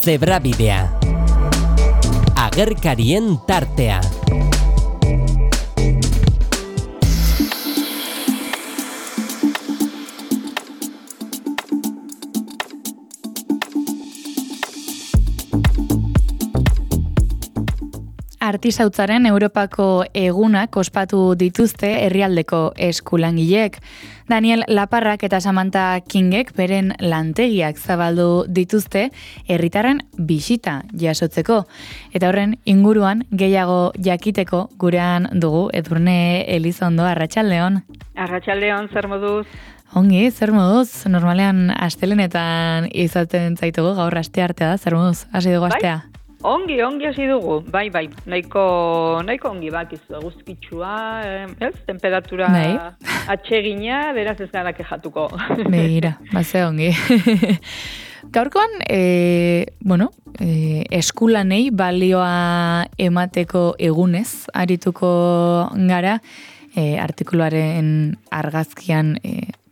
Zebrabidea. Agerkarien tartea. Artisautzaren Europako egunak ospatu dituzte herrialdeko eskulangileek. Daniel Laparrak eta Samantha Kingek beren lantegiak zabaldu dituzte herritarren bisita jasotzeko. Eta horren inguruan gehiago jakiteko gurean dugu Edurne Elizondo. Arratsaldeon. Arratsaldeon, zer moduz? Ongi, zer moduz? Normalean astelenetan izaten zaitugu, gaur asteartea da, zer moduz? Hasi dugu astea? Ongi hasi dugu, bai, nahiko ongi bakizu, eguzkitsua, temperatura atsegina, beraz ez gara kejatuko. Begira, ze ongi. Gaurkoan, eskulanei balioa emateko egunez, arituko gara, artikuluaren argazkian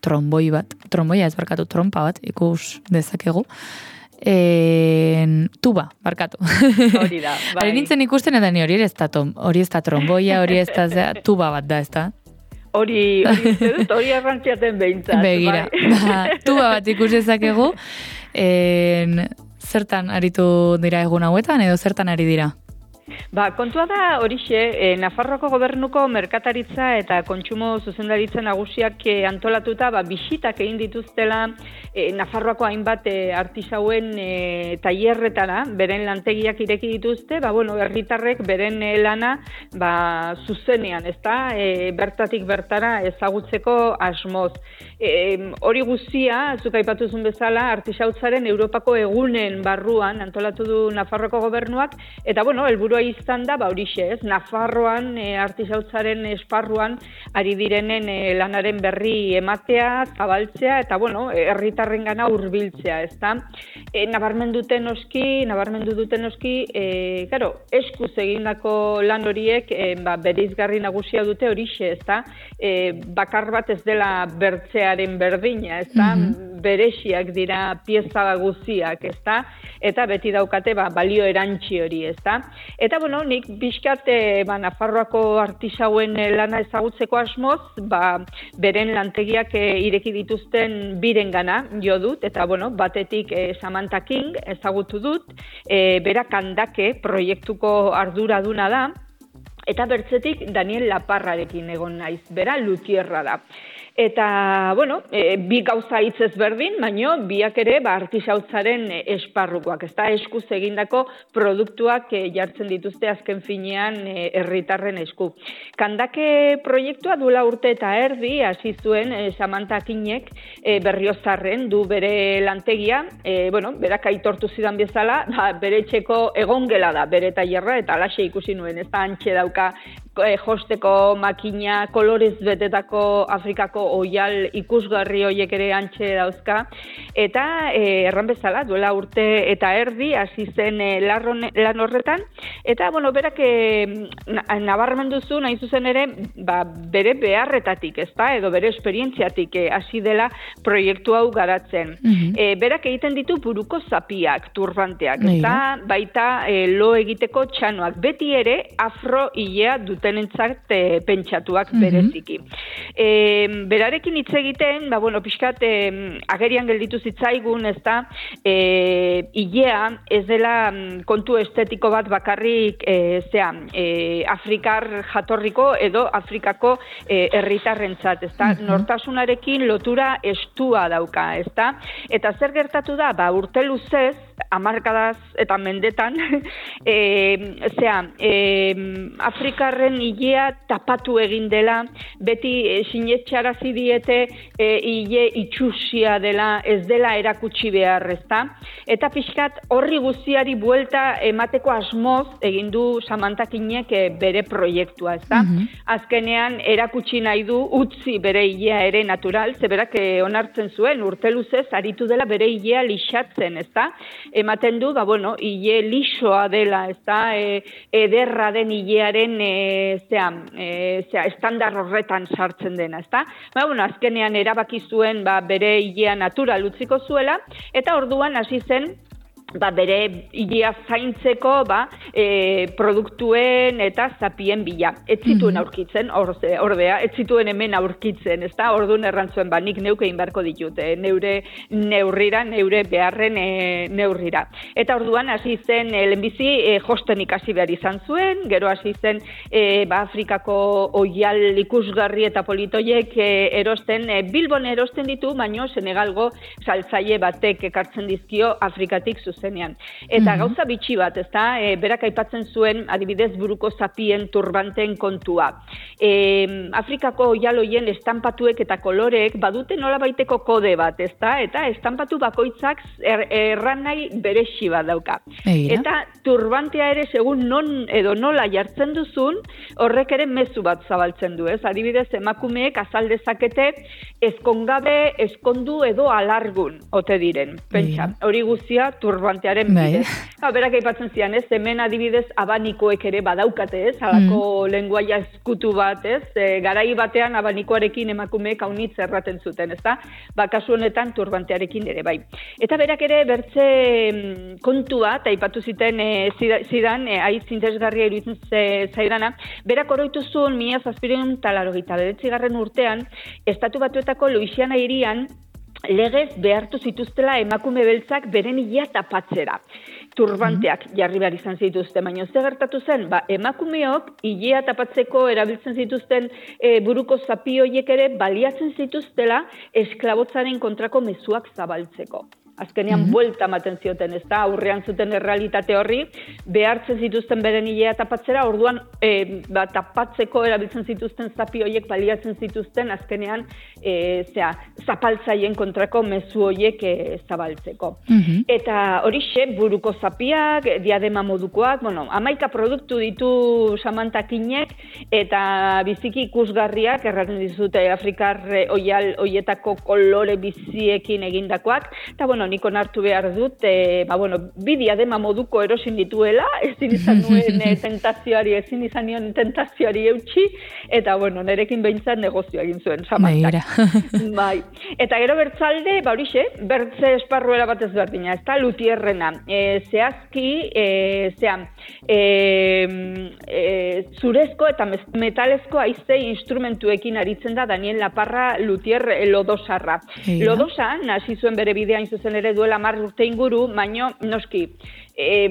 trompa bat, ikus dezakegu, tuba, barkatu. Hori da, bai. Ari nintzen ikusten edan hori ez da tromboia, hori ez da tuba bat da, ez da? Hori arrantziaten behintzat. Begira, tuba bat ikusezakegu, zertan aritu dira egun hauetan edo zertan ari dira? Kontua da horixe, Nafarroako gobernuko merkataritza eta kontsumo zuzendaritza nagusiak antolatuta bisitak egin dituztela Nafarroako hainbat artisauen tailerretara, beren lantegiak ireki dituzte, herritarrek beren lana zuzenean, ezta, bertatik bertara ezagutzeko asmoz. Hori guztia, zuk aipatuzun bezala, artisautzaren Europako egunen barruan antolatu du Nafarroako gobernuak, eta helburua izan da, horixe ez, Nafarroan artisautzaren esparruan ari direnen lanaren berri ematea, zabaltzea, eta herritarrengana hurbiltzea, ezta. Nabarmendu duten noski, eskuz egindako lan horiek bereizgarri nagusia dute horixe, ezta. Bakar bat ez dela bertzearen berdina, ezta. Bereziak dira pieza guztiak, ezta. Eta beti daukate balio erantzi hori, ezta. Eta nik pixkat Nafarroako artisauen lana ezagutzeko asmoz, beren lantegiak ireki dituzten birengana jo dut, eta batetik Samantha King ezagutu dut, bera Kandake proiektuko arduraduna da, eta bertzetik Daniel Laparrarekin egon naiz, bera luthierra da. Eta, bi gauza hitz ezberdin, baino biak ere artisautzaren esparrukoak, ezta, eskuz egindako produktuak jartzen dituzte azken finean herritarren esku. Kandake proiektua duela urte eta erdi hasi zuen Samantha Kingek Berriozarren du bere lantegia, berak aitortu zidan bezala, bere etxeko egongela da, bere tailerra, eta alaxe ikusi nuen, ez da antxe dauka josteko makina, kolorez betetako Afrikako oial ikusgarri horiek ere antxe dauzka, eta erran bezala, duela urte eta erdi, hasi zen lan horretan, eta, berak nabarmendu zu, nahi zuzen ere, bere beharretatik, ezta, edo bere esperientziatik hasi dela proiektu hau garatzen. Berak egiten ditu buruko zapiak, turbanteak, ezta, baita lo egiteko txanoak, beti ere afro-ilea dutenentzat pentsatuak bereziki. Berarekin hitz egiten, pixkat agerian gelditu zitzaigun, ezta, ilea ez dela kontu estetiko bat bakarrik Afrikar jatorriko edo Afrikako herritarrentzat, ezta, nortasunarekin lotura estua dauka, ezta, eta zer gertatu da, urte luzez, hamarkadaz eta mendetan, Afrikarren ilea tapatu egin dela, beti sinetxarazi diete ile itxusia dela, ez dela erakutsi behar, ezta? Eta pixkat horri guztiari buelta emateko asmoz egin du Samantha Kingek bere proiektua, ezta? Azkenean erakutsi nahi du utzi bere ilea ere natural, zeberak onartzen zuen urte luzez aritu dela bere ilea lixatzen, ezta? Ematen du, ile lisoa dela, ezta? Ederra den ilearen estandar horretan sartzen dena, ezta? Azkenean erabaki zuen bere ilea natural utziko zuela, eta orduan hasi zen bere hilia zaintzeko produktuen eta zapien bila. Ez zituen aurkitzen, ordea, ez zituen hemen aurkitzen, ezta? Orduan errantzuen, nik neuke egin beharko ditut, neure neurrira, neure beharren neurrira. Eta orduan hasi zen lehenbizi josten ikasi behar izan zuen, gero hasi zen Afrikako oial ikusgarri eta politoiek erosten, Bilbon erosten ditu, baino Senegalgo saltzaile batek ekartzen dizkio Afrikatik zuzenean. Eta gauza bitxi bat, ezta? Berak aipatzen zuen, adibidez, buruko zapien turbanten kontua. Afrikako oialoien estampatuek eta koloreek badute nola baiteko kode bat, ezta? Eta estampatu bakoitzak erranai beresi bat dauka. Eta turbantea ere, segun non edo nola jartzen duzun, horrek ere mezu bat zabaltzen du, ez? Adibidez, emakumeek azal dezakete ezkongabe, ezkondu edo alargun ote diren. Pentsa, hori guztia turbantearen bidez. Berak aipatzen zian, ez? Hemen adibidez abanikoek ere badaukate, ez? Halako lenguaia eskutu bat, ez? Garai batean abanikoarekin emakumeek haunitz erraten zuten, ezta? Kasu honetan turbantearekin ere bai. Eta berak ere bertze kontu bat aipatu zidan aiz interesgarria iruditzen zaidana, berak oroitu zuen 1789 urtean Estatu Batuetako Louisiana hirian legez behartu zituztela emakume beltzak beren hilia tapatzera. Turbanteak jarri behar izan zituzten, baina ze gertatu zen, emakumeok hilia tapatzeko erabiltzen zituzten buruko zapi horiek ere baliatzen zituztela esklabotzaren kontrako mezuak zabaltzeko. Azkenean buelta ematen zioten, ez da, aurrean zuten errealitate horri, behartzen zituzten beren hilea tapatzera, orduan tapatzeko erabiltzen zituzten zapi horiek baliatzen zituzten, azkenean zapaltzaien kontrako mezu horiek zabaltzeko. Eta horixe, buruko zapiak, diadema modukoak, 11 produktu ditu samantakinek, eta biziki ikusgarriak, erraten dizute Afrikar oial hoietako kolore biziekin egindakoak, eta nik onartu behar dut, bi diadema moduko erosin dituela, ezin izan nion tentazioari eutxi, eta nerekin behintzat negozioa egin zuen, samantak. Bai. Eta gero bertzalde, horixe, bertze esparruera bat ezberdina, ez da, lutierrena. Zehazki, zurezko eta metalezko haize instrumentuekin aritzen da Daniel Laparra lutier lodosarra. Lodosa, hasi zuen bere bideain zuzen ere duela 10 urte inguru, baino noski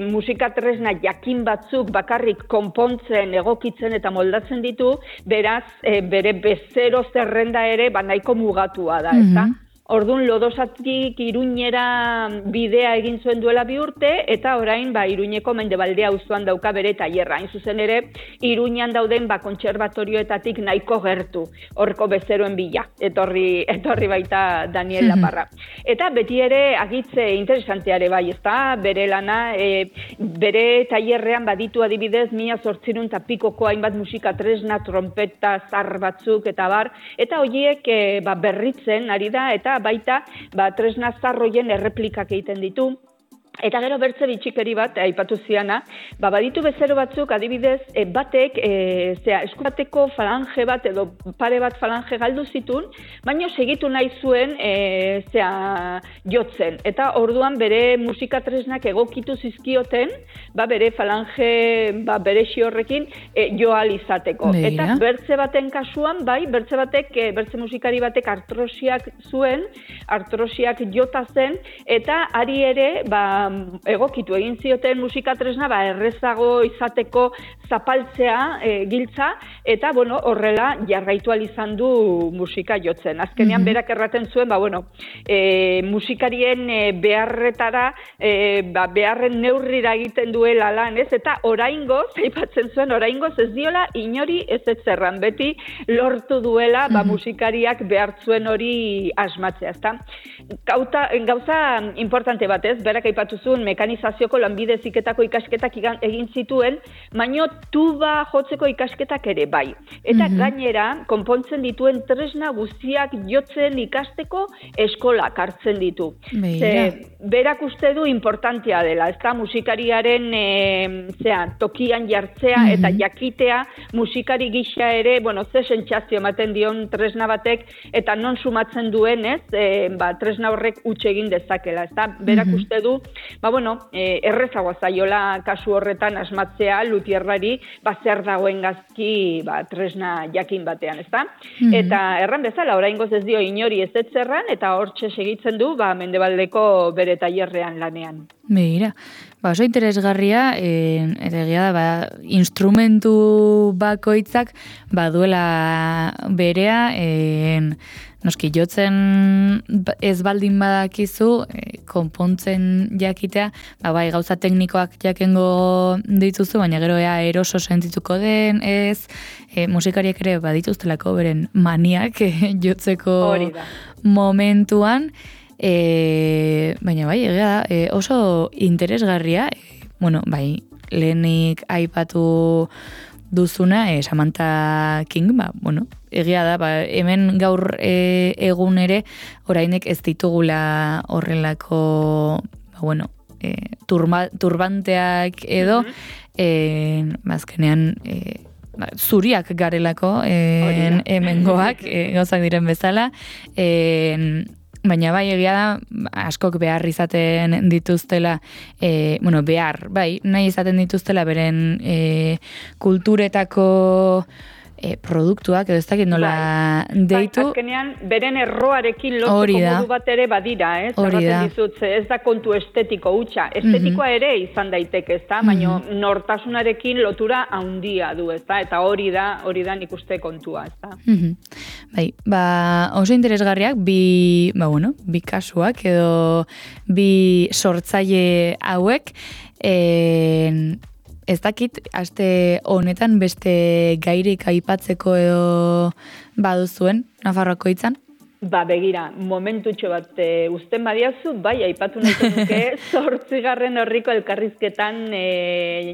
musika tresna jakin batzuk bakarrik konpontzen, egokitzen eta moldatzen ditu, beraz bere bezero zerrenda ere nahiko mugatua da, ezta? Orduan Lodosatik Iruñera bidea egin zuen duela 2 urte, eta orain Iruñeko Mendebaldea auzoan dauka bere tailerra. Hain zuzen ere, Iruñan dauden kontserbatorioetatik nahiko gertu, horko bezeroen bila, etorri baita Daniel Laparra. Eta beti ere agitze interesanteare bai, ezta? Bere lana, bere tailerrean baditu adibidez 1800 pikoko hainbat musika tresna, trompeta, zar batzuk eta bar, eta horiek berritzen ari da, eta baita tresna zarroien erreplikak egiten ditu. Eta gero bertze bitxikeri bat, aipatu ziana, baditu bezero batzuk, adibidez, batek, esku bateko falange bat edo pare bat falange galdu zitun, baina segitu nahi zuen, jotzen. Eta orduan bere musika tresnak egokitu zizkioten, bere falange, beresi horrekin, joal izateko. Eta bertze baten kasuan, bertze musikari batek artrosiak zuen, artrosiak jota zen, eta ari ere, egokitu egin zioten musika tresna errezago izateko zapaltzea giltza, eta horrela jarraitu ahal izan du musika jotzen. Azkenean berak erraten zuen, musikarien beharretara, beharren neurrira egiten duela lan, ez? Eta oraingoz, aipatzen zuen, oraingoz ez diola inori ez zerran, beti lortu duela musikariak behartzuen hori asmatzea, ezta? Gauza importante bat, ez? Berak aipatu zuen mekanizazioko lanbide heziketako ikasketak egin zituen, baino tuba jotzeko ikasketak ere bai. Eta gainera, konpontzen dituen tresna guztiak jotzen ikasteko eskolak hartzen ditu. Berak uste du importantea dela, ezta musikariaren tokian jartzea eta jakitea musikari gisa ere, ze sentsazio ematen dion tresna batek eta non sumatzen duen, ez? Tresna horrek huts egin dezakela, ezta? Berak uste du errezagoa zaiola kasu horretan asmatzea lutierrari, zer dagoen gazki tresna jakin batean, ezta? Eta erran bezala, oraingoz ez dio inori ez etzerran, eta hortxe segitzen du Mendebaldeko bere tailerrean lanean. Begira, oso interesgarria, eta egia da, instrumentu bakoitzak baduela berea, noski jotzen ez baldin badakizu, konpontzen jakitea, bai gauza teknikoak jakengo dituzu, baina gero eroso sentituko den, ez, musikariak ere badituztelako beren maniak jotzeko momentuan, baina bai, egia da, oso interesgarria, lehenik aipatu duzuna, Samantha King, egia da, hemen gaur egun ere, orainek ez ditugula horrelako, turbanteak edo, azkenean, zuriak garelako, hemengoak, gauzak diren bezala, baina bai egia da, askok behar izaten dituztela, nahi izaten dituztela beren kulturetako produktuak, edo ez dakit nola deitu. Azkenean, beren erroarekin lotzeko modu bat ere badira, zerraten dizut, ez da kontu estetiko hutsa. Estetikoa ere izan daiteke, ezta, baina nortasunarekin lotura handia du, ezta, eta hori da nik uste kontua, ezta. Oso interesgarriak, bi kasuak, edo bi sortzaile hauek, ez dakit, aste honetan beste gairik aipatzeko edo baduzuen, Nafarroako hitzan? Begira, momentutxo bat uzten badiazu, aipatu nahiko nuke, 8. horriko elkarrizketan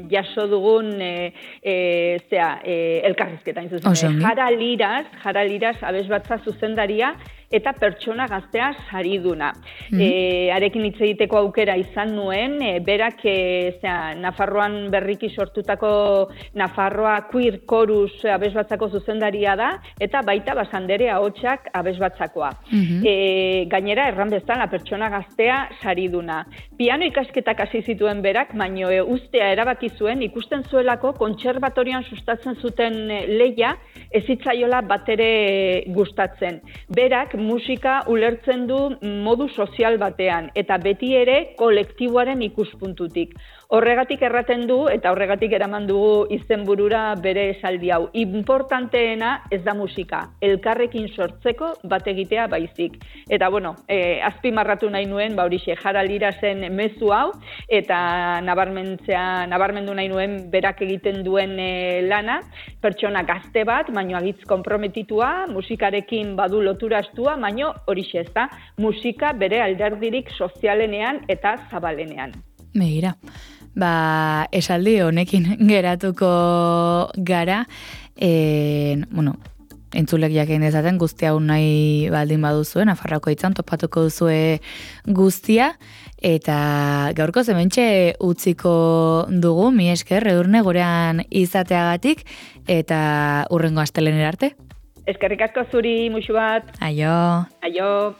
jaso dugun elkarrizketan zuzen. Jara Liras abesbatza zuzendaria, eta pertsona gaztea sariduna. Arekin hitz egiteko aukera izan nuen, berak Nafarroan berriki sortutako Nafarroa Queer Chorus abesbatzako zuzendaria da, eta baita Basandere ahotsak abesbatzakoa. Gainera, erran bezala, pertsona gaztea sariduna. Piano ikasketak hasi zituen berak, baino ustea erabaki zuen, ikusten zuelako kontserbatorian sustatzen zuten lehia, ez zitzaiola batere gustatzen. Berak musika ulertzen du modu sozial batean, eta beti ere kolektiboaren ikuspuntutik. Horregatik erraten du, eta horregatik eraman dugu izenburura bere esaldi hau. Importanteena ez da musika, elkarrekin sortzeko bat egitea baizik. Eta azpimarratu nahi nuen, horixe, Jara Lirasen mezu hau, eta nabarmendu nahi nuen berak egiten duen lana, pertsona gazte bat, baino agitz konprometitua, musikarekin badu lotura astua, baino horixe ez da, musika bere alderdirik sozialenean eta zabalenean. Begira, esaldi honekin geratuko gara, entzulek jakin dezaten guztia hau nahi baldin baduzuen, Nafarroako hitzan topatuko duzue guztia, eta gaurko hementxe utziko dugu, mi esker, Edurne gurean izateagatik, eta hurrengo astelehenera arte. Eskerrik asko zuri, musu bat. Aio. Aio.